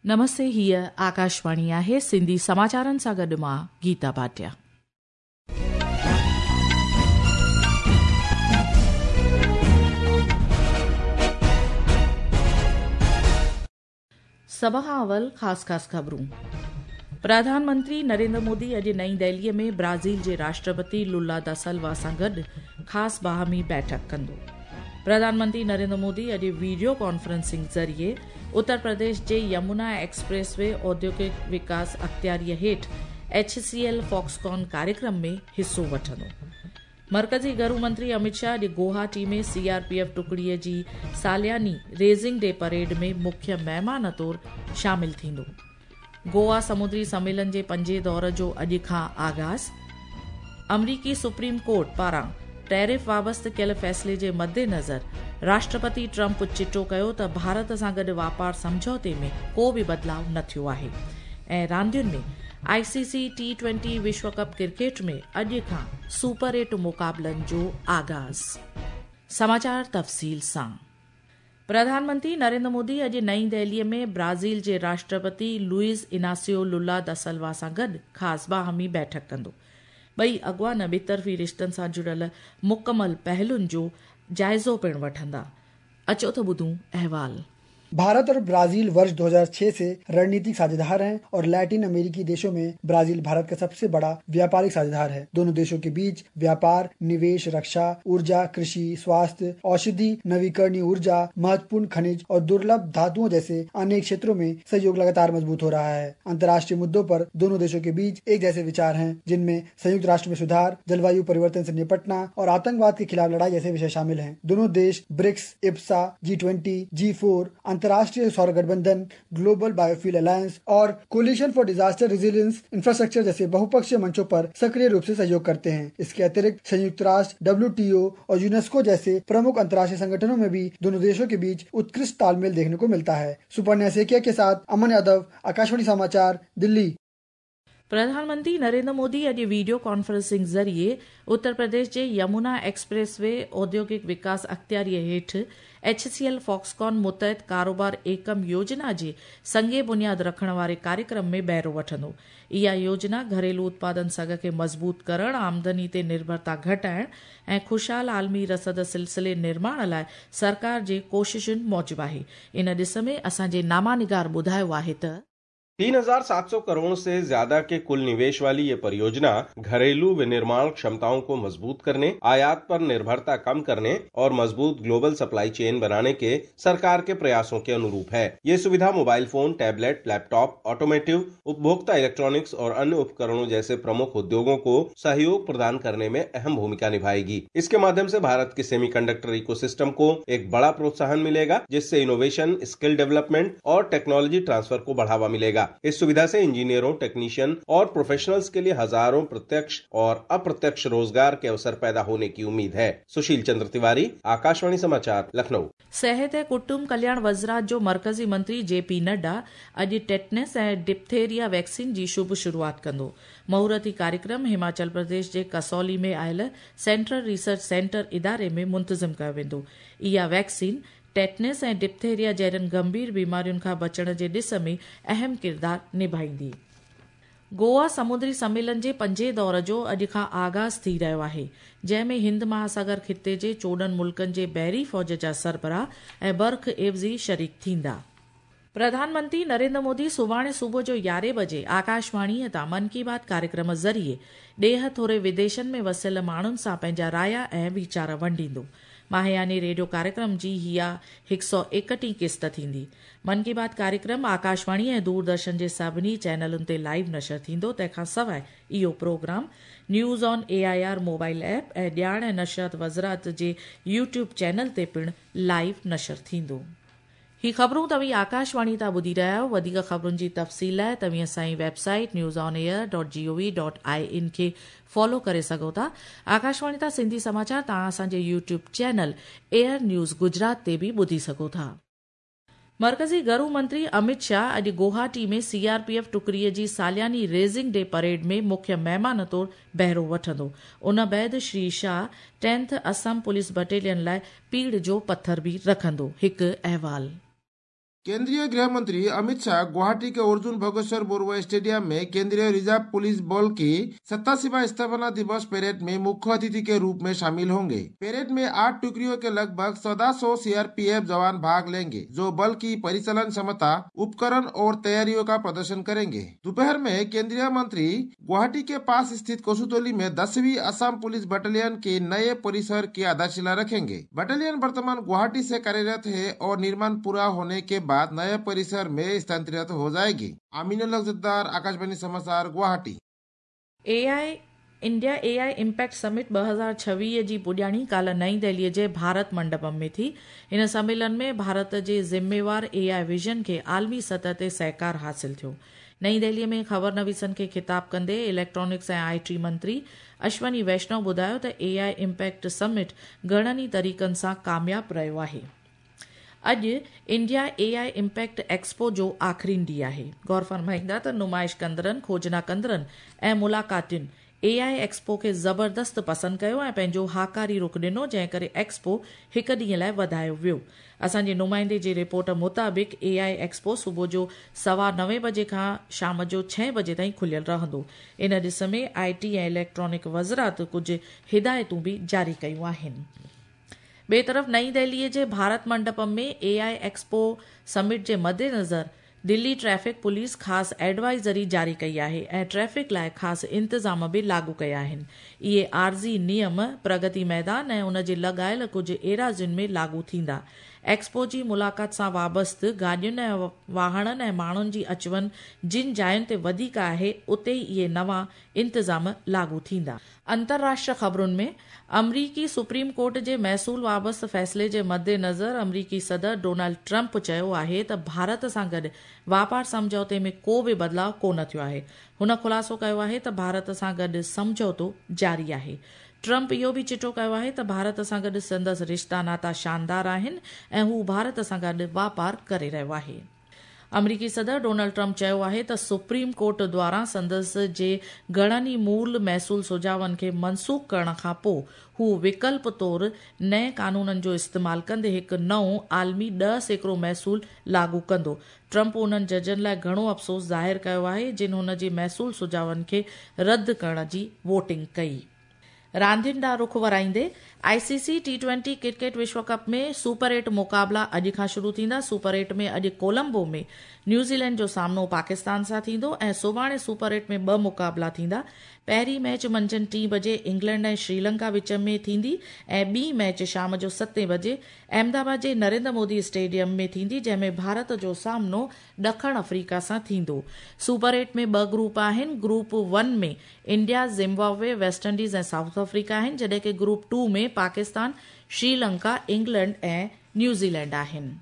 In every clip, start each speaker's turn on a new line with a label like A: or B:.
A: نمستي هيء آڪاشواڻي آهي سنڌي سماچارن سان گڏ مان گيتا ڀاٽيا. سڀ کان اول خاص خاص خبرون. پرڌان منتري نريندر مودي اڄ نئين دهليء ۾ برازيل جي راشٽرپتي لولا دا سلوا سان گڏ خاص باهمي بيٺڪ ڪندو. پرڌان منتري نريندر مودي اڄ ويڊيو ڪانفرنسنگ ذريعي اتر پرديش جي يمنا ايڪسپريس وي اوديوگڪ وڪاس اختياريء هيٺ ايڇ سي ايل فاڪسڪان ڪاريڪرم ۾ حصو وٺندو. مرڪزي گهرو منتري امت شاهه اڄ Guwahati ۾ C R P F ٽڪڙيء جي سالياني ريزنگ ڊي پريڊ ۾ مکيه مهمان طور شامل ٿيندو. گوا سمندري سميلن جي پنجين دور جو اڄ کان آغاز، آمريڪي سپريم ڪورٽ پاران ٽيرف وابسته ڪيل فيصلي جي مدنظر راشٽرپتي ٽرمپ چٽو ڪيو ته ڀارت سان گڏ واپار سمجهوتي ۾ ڪو به بدلاء نه ٿيو آهي ۽ راندين ۾ آء سي سي ٽي ٽوئنٽي وشو ڪپ ڪرڪيٽ ۾ اڄ کان سپر ايٽ مقابلن جو آغاز. سماچار تفصيل سان. پرڌان منتري نريندر مودي اڄ نئين دهليء ۾ برازيل جي راشٽرپتي لوئيز اناسيو لولا دا سلوا سان گڏ خاص باهمي بيٺڪ ڪندو. ٻئي اڳواڻ ٻطرفي رشتن سان جڙيل مڪمل پهلن جو جائزو پڻ وٺندا. اچو ته ٻڌون احوال.
B: भारत और ब्राजील वर्ष 2006 से रणनीतिक साझेदार हैं और लैटिन अमेरिकी देशों में ब्राजील भारत का सबसे बड़ा व्यापारिक साझेदार है। दोनों देशों के बीच व्यापार, निवेश, रक्षा, ऊर्जा, कृषि, स्वास्थ्य, औषधि, नवीकरणीय ऊर्जा, महत्वपूर्ण खनिज और दुर्लभ धातुओं जैसे अनेक क्षेत्रों में सहयोग लगातार मजबूत हो रहा है। अंतर्राष्ट्रीय मुद्दों पर दोनों देशों के बीच एक जैसे विचार हैं, जिनमें संयुक्त राष्ट्र में सुधार, जलवायु परिवर्तन से निपटना और आतंकवाद के खिलाफ लड़ाई जैसे विषय शामिल हैं। दोनों देश ब्रिक्स, इप्सा, G20, G4, अंतर्राष्ट्रीय सौर गठबंधन, ग्लोबल बायोफ्यूल अलायंस और coalition for disaster resilience infrastructure जैसे बहुपक्षीय मंचों पर सक्रिय रूप से सहयोग करते हैं। इसके अतिरिक्त संयुक्त राष्ट्र, डब्ल्यूटीओ और यूनेस्को जैसे प्रमुख अंतर्राष्ट्रीय संगठनों में भी दोनों देशों के बीच उत्कृष्ट तालमेल देखने को मिलता है। सुपर्णा सेकिया के साथ अमन यादव, आकाशवाणी समाचार, दिल्ली।
A: प्रधानमंत्री नरेंद्र मोदी अॼु वीडियो कॉन्फ्रेंसिंग ज़रिए उत्तर प्रदेश जे यमुना एक्सप्रेस वे औद्योगिक विकास अख़्तियारीअ हेठि एच सी एल फॉक्सकॉन मुतहत कारोबार एकम योजना जे संगे बुनियाद रखण वारे कार्यक्रम में बहिरो वठंदो। इहा योजना घरेलू उत्पादन सघ खे मज़बूत करण, आमदनी ते निर्भरता घटाइण ऐं ख़ुशहाल आलमी रसद सिलसिले निर्माण लाइ सरकार जे कोशिशुनि मूजिबि आहे। इन ॾिस में असांजे नामानिगार ॿुधायो आहे त
C: 3,700 करोड़ से ज्यादा के कुल निवेश वाली ये परियोजना घरेलू विनिर्माण क्षमताओं को मजबूत करने, आयात पर निर्भरता कम करने और मजबूत ग्लोबल सप्लाई चेन बनाने के सरकार के प्रयासों के अनुरूप है। ये सुविधा mobile phone, tablet, laptop, automotive, उपभोक्ता इलेक्ट्रॉनिक्स और अन्य उपकरणों जैसे प्रमुख उद्योगों को सहयोग प्रदान करने में अहम भूमिका निभाएगी। इसके माध्यम से भारत के सेमीकंडक्टर इकोसिस्टम को एक बड़ा प्रोत्साहन मिलेगा, जिससे इनोवेशन, स्किल डेवलपमेंट और टेक्नोलॉजी ट्रांसफर को बढ़ावा मिलेगा। इस सुविधा से इंजीनियरों, टेक्नीशियन और प्रोफेशनल्स के लिए हजारों प्रत्यक्ष और अप्रत्यक्ष रोजगार के अवसर पैदा होने की उम्मीद है। सुशील चंद्र तिवारी, आकाशवाणी समाचार, लखनऊ।
A: सेहत ऐं कुटुंब कल्याण वज़ारत जो मरकज़ी मंत्री जे पी नड्डा अॼु टेटनस ऐं डिप्थेरिया वैक्सीन जी शुभ शुरूआत कंदो। मुहूर्ती कार्यक्रम हिमाचल प्रदेश जे कसौली में आयल सेंट्रल रिसर्च सेंटर इदारे में मुंतज़िम कयो वेंदो। इहा वैक्सीन टेटनस ऐं डिप्थेरिया जहिड़नि गंभीर बीमारियुनि खां बचण जे ॾिस में अहम किरदारु निभाईंदी। गोवा समुद्री सम्मेलन जे पंजे दौर जो अॼु खां आगाज़ थी रहियो आहे, जंहिं में हिंद महासागर ख़िते जे 14 मुल्कनि जे बहरी फ़ौज जा सरबराह ऐं बर्ख एवज़ी शरीक थींदा। प्रधानमंत्री नरेंद्र मोदी सुभाणे सुबुह जो 11 बजे आकाशवाणीअ तां मन की बात कार्यक्रम ज़रिए ॾेह थोरे विदेशनि में वसियल माण्हुनि सां पंहिंजा राया ऐं वीचार वंडींदो। माहियानी रेडियो कार्यक्रम जी इहा 131 किस्त थींदी। मन की बात कार्यक्रम आकाशवाणी ऐं दूरदर्शन जे सभिनी चैनलुनि ते लाइव नशर थींदो। तंहिंखां सवाइ इहो programme news on A I R mobile app ऐं ॼाण ऐं नशरियात वज़ारत जे यूट्यूब चैनल ते पिणु लाइव नशर थींदो। ही ख़बरूं तव्हीं आकाशवाणी तां ॿुधी रहिया आहियो। वधीक ख़बरुनि जी तफ़सील लाइ तव्हीं असांजी website newsonair.gov.in खे फॉलो करे सघो था। आकाशवाणी तां सिंधी समाचार तव्हां असांजे YouTube channel air news Gujarat ते बि ॿुधी सघो था। मरकज़ी घरू मंत्री अमित शाह अॼु गुवाहाटी में सीआरपीएफ टुकड़ीअ जी सालियानी रेजिंग डे परेड में मुख्य महिमान तौरु बहिरो वठंदो। उन बाद Shri Shah 10th Assam police battalion लाइ पीड़ जो पथर बि रखंदो। हिकु अहवाल।
D: केंद्रीय गृह मंत्री अमित शाह गुवाहाटी के अर्जुन भोगेश्वर बरुआ स्टेडियम में केंद्रीय रिजर्व पुलिस बल की 87वां स्थापना दिवस परेड में मुख्य अतिथि के रूप में शामिल होंगे। परेड में 8 टुकड़ियों के लगभग 1400 सीआरपीएफ जवान भाग लेंगे, जो बल की परिचालन क्षमता, उपकरण और तैयारियों का प्रदर्शन करेंगे। दोपहर में केंद्रीय मंत्री गुवाहाटी के पास स्थित कोसुतोली में 10वीं असम पुलिस बटालियन के नए परिसर की आधारशिला रखेंगे। बटालियन वर्तमान गुवाहाटी से कार्यरत है और निर्माण पूरा होने के बाद नए परिसर में स्थानांतरित हो जाएगी। अमीनुल हक, आकाशवाणी समाचार, Guwahati.
A: AI India AI impact summit 2026 जी पुॼाणी काल्ह नई दिल्लीअ जे भारत मंडपम में थी। हिन सम्मेलन में भारत जे ज़िम्मेवार एआई विजन खे आलमी सतह ते सहकार हासिल थियो। नई दिल्लीअ में ख़बर नवीसनि खे ख़िताब कंदे इलेक्ट्रॉनिक्स ऐं IT मंत्री अश्वनी वैष्णव ॿुधायो त एआई इम्पैक्ट समिट घणनि ई तरीक़नि सां कामयाब रहियो आहे। अॼु इंडिया एआई इम्पैक्ट एक्सपो जो आख़िरी ॾींहुं आहे। गौर फरमाईंदा त नुमाइश कंदड़नि, खोजना कंदड़नि ऐं मुलाक़ातियुनि एआई एक्सपो खे ज़बरदस्त पसंदि कयो ऐं पंहिंजो हाकारी रुख ॾिनो, जंहिं करे एक्सपो हिकु ॾींहं लाइ वधायो वियो। असांजे नुमाइंदे जी रिपोर्ट मुताबिक़ एआई एक्सपो सुबुह जो 9:15 बजे खां शाम जो 6 बजे ताईं खुलियल रहंदो। इन ॾिस में IT ऐं इलेक्ट्रॉनिक वज़ारत कुझु हिदायतूं बि जारी कयूं आहिनि। ॿिए तरफ़ नई दिल्लीअ जे भारत मंडपम में एआई एक्सपो समिट जे मद्देनज़र दिल्ली ट्रैफिक पुलिस ख़ासि एडवाइज़री जारी कई आहे ऐं ट्रैफिक लाइ ख़ासि इंतज़ाम बि लागू कया आहिनि। इहे आरज़ी नियम प्रगति मैदान ऐं उन जे लॻायल कुझु एराज़ियुनि में लागू थींदा। एक्सपो जी मुलाक़ात सां वाबस्त गाॾियुनि ऐं वाहणनि ऐं माण्हुनि जी अचु वञ जिन जायुनि ते वधीक आहे, उते ई इहे नवां इंतज़ाम लागू थींदा। अंतर्राष्ट्रीय ख़बरुनि में अमरीकी सुप्रीम कोर्ट जे महसूल वाबस्त फ़ैसिले जे मद्देनज़र अमरीकी सदर डोनाल्ड ट्रंप चयो आहे त भारत सां गॾु वापार सम्झौते में को बि बदिलाव कोन थियो आहे। हुन ख़ुलासो कयो आहे त भारत सां गॾु सम्झौतो जारी आहे। ट्रंप इहो बि चिटो कयो आहे त भारत सां गॾु संदसि रिश्ता नाता शानदार आहिनि ऐं हू भारत सां गॾु वापार करे रहियो आहे। अमरीकी सदर डोनाल्ड ट्रंप चयो आहे त सुप्रीम कोर्ट द्वारा संदसि जे घणनि ई मूल महसूल सुझावनि खे मनसूख करण खां पोइ हू विकल्प तौर नए कानूननि जो इस्तेमालु कंदे हिकु नओं आलमी 10% महसूल लागू कंदो। ट्रंप उन्हनि जजनि लाइ घणो अफ़सोस ज़ाहिर कयो आहे जिन हुन जे महसूल सुझावनि खे रद्द करण जी वोटिंग कई। रांदियुनि ॾांहुं रुख वराईंदे आईसीसी T20 cricket विश्व कप में सुपर 8 मुक़ाबला अॼु खां शुरू थींदा। सुपर 8 में अॼु कोलंबो में न्यूज़ीलैंड जो सामनो पाकिस्तान सां थींदो ऐं सुभाणे सुपर 8 में ॿ मुक़ाबला थींदा। पहिरीं मैच मंझंदि 3 बजे इंग्लैंड ऐं श्रीलंका विच में थींदी ऐं ॿी मैच शाम जो 7 बजे अहमदाबाद जे नरेंद्र मोदी स्टेडियम में थींदी, जंहिंमें भारत जो सामनो ॾखण अफ्रीका सां थींदो। सुपर 8 में ॿ ग्रुप आहिनि। Group 1 में इंडिया, ज़िम्बाब्वे, वेस्ट इंडीज़ ऐं साउथ अफ्रीका आहिनि, जॾहिं की ग्रुप 2 में पाकिस्तान, श्रीलंका, इंग्लैंड ऐं न्यूज़ीलैंड आहिनि।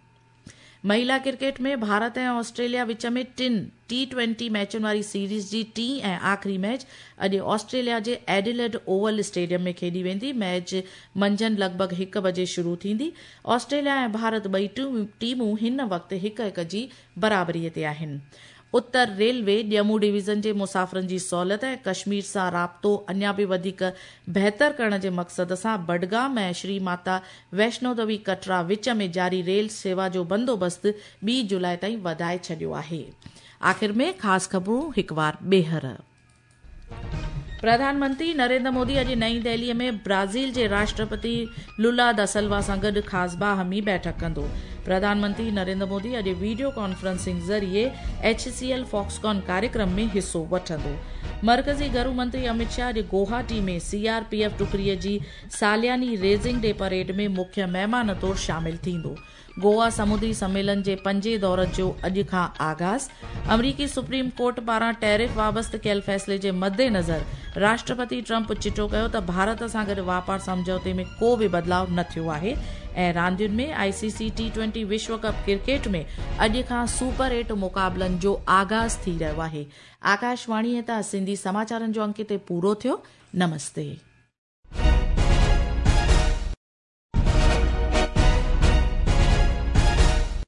A: महिला क्रिकेट में भारत ऐं ऑस्ट्रेलिया विच में टिनि T20 मैचुनि वारी सीरीज़ जी टीं ऐं आख़िरी मैच अॼु ऑस्ट्रेलिया जे एडिलेड ओवल स्टेडियम में खेॾी वेंदी। मैच मंझंदि लॻभॻि 1 बजे शुरू थींदी। ऑस्ट्रेलिया ऐं भारत ॿई टीमूं हिन वक़्तु 1-1 जी बराबरीअ ते आहिनि। उत्तर रेलवे ॼम्मू डिवीज़न जे मुसाफ़िरनि जी सहूलियत ऐं कश्मीर सां राब्तो अञा बि वधीक बहितर करण जे मक़सद सां बडगाम ऐं श्री माता वैष्णो देवी कटरा विच में जारी रेल सेवा जो बंदोबस्तु 2 जुलाई ताईं वधाए छॾियो आहे। आख़िर में ख़ासि ख़बरूं हिकु वार ॿीहर। प्रधानमंत्री नरेंद्र मोदी अॼु नई दिल्लीअ में ब्राज़ील जे राष्ट्रपति लुला दा सिल्वा सां गॾु ख़ासि बाहमी बैठक कंदो। प्रधानमंत्री नरेंद्र मोदी अॼु वीडियो कॉन्फ्रेंसिंग ज़रिए HCL Foxconn कार्यक्रम में हिसो वठंदो। मरकज़ी घरू मंत्री अमित शाह अॼु गुवाहाटी में CRPF टुकड़ीअ जी सालियानी रेज़िंग डे परेड में मुख्य महिमान तौर शामिल थींदो। गोवा समुद्री सम्मेलन जे पंजे दौर जो अॼु खां आगाज़। अमरीकी सुप्रीम कोर्ट पारां टैरिफ वाबस्त कयल फ़ैसिले जे मद्देनज़र राष्ट्रपति ट्रंप चिटो कयो त भारत सां गॾु वापार सम्झौते में को बि बदिलाव न थियो आहे। ऐं रांदियुनि में ICC T20 विश्व कप क्रिकेट में अॼु खां सुपर 8 मुक़ाबलनि जो आगाज़ थी रहियो आहे। आकाशवाणीअ तां सिंधी समाचारनि जो अंक हिते पूरो थियो। नमस्ते।